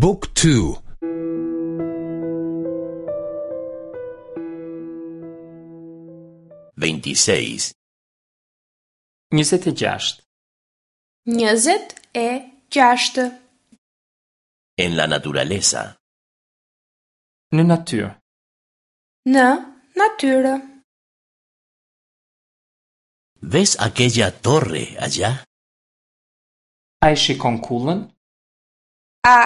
บุ๊กทู 26. 26. 26. En la naturaleza. Në natyrë. Në natyrë. ¿Ves aquella torre allá? A e shikon kullën? A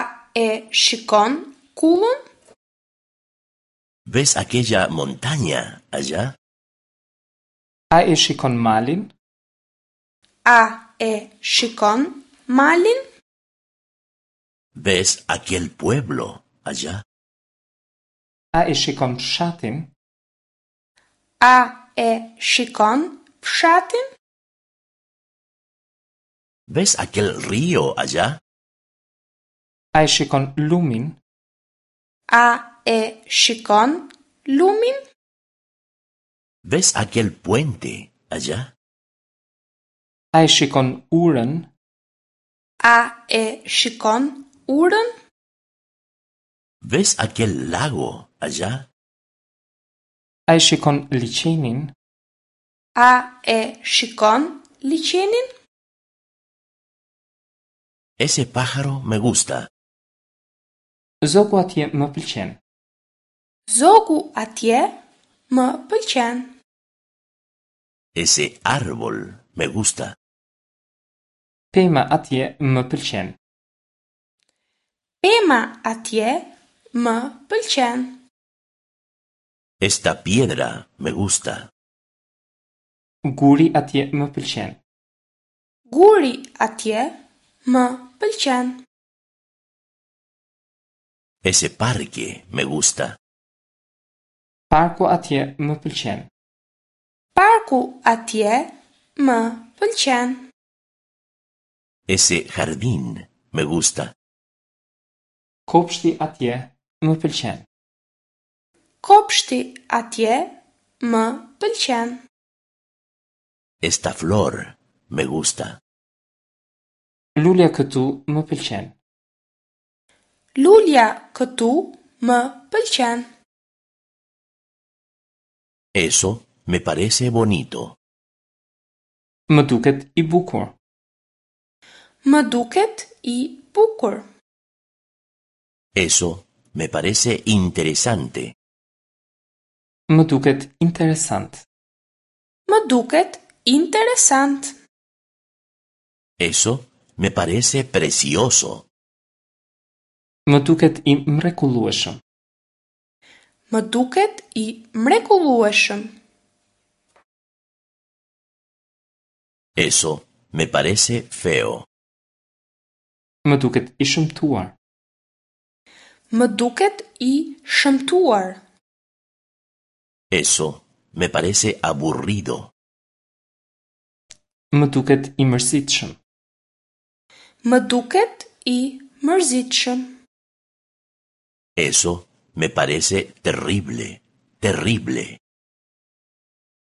e shikon kullën? ¿Ves aquella montaña allá? A e shikon malin? A e shikon malin? ¿Ves aquel pueblo allá? A e shikon fshatin? A e shikon fshatin? ¿Ves aquel río allá? A e shikon lumin? A e shikon lumin? ¿Ves aquel puente allá? A e shikon urën? A e shikon urën? ¿Ves aquel lago allá? A e shikon liqenin? A e shikon liqenin? Ese pájaro me gusta. Zogu atje më pëlqen. Zogu atje më pëlqen. Ese árbol me gusta. Pema atje më pëlqen. Pema atje më pëlqen. Esta piedra me gusta. Guri atje më pëlqen. Guri atje më pëlqen. Ese parque me gusta. Parku atje më pëlqen. Parku atje më pëlqen. Ese jardín me gusta. Kopshti atje më pëlqen. Kopshti atje më pëlqen. Esta flor me gusta. Lulja këtu më pëlqen. Lulja këtu më pëlqen. Eso me parece bonito. Më duket i bukur. Më duket i bukur. Eso me parece interesante. Më duket interesant. Më duket interesant. Eso me parece precioso. Më duket i mrekullueshëm. Më duket i mrekullueshëm. Eso me parece feo. Më duket i shëmtuar. Më duket i shëmtuar. Eso me parece aburrido. Më duket i mërzitshëm. Më duket i mërzitshëm. Eso me parece terrible, terrible.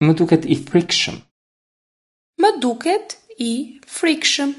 Më duket i frikshëm. Më duket i frikshëm.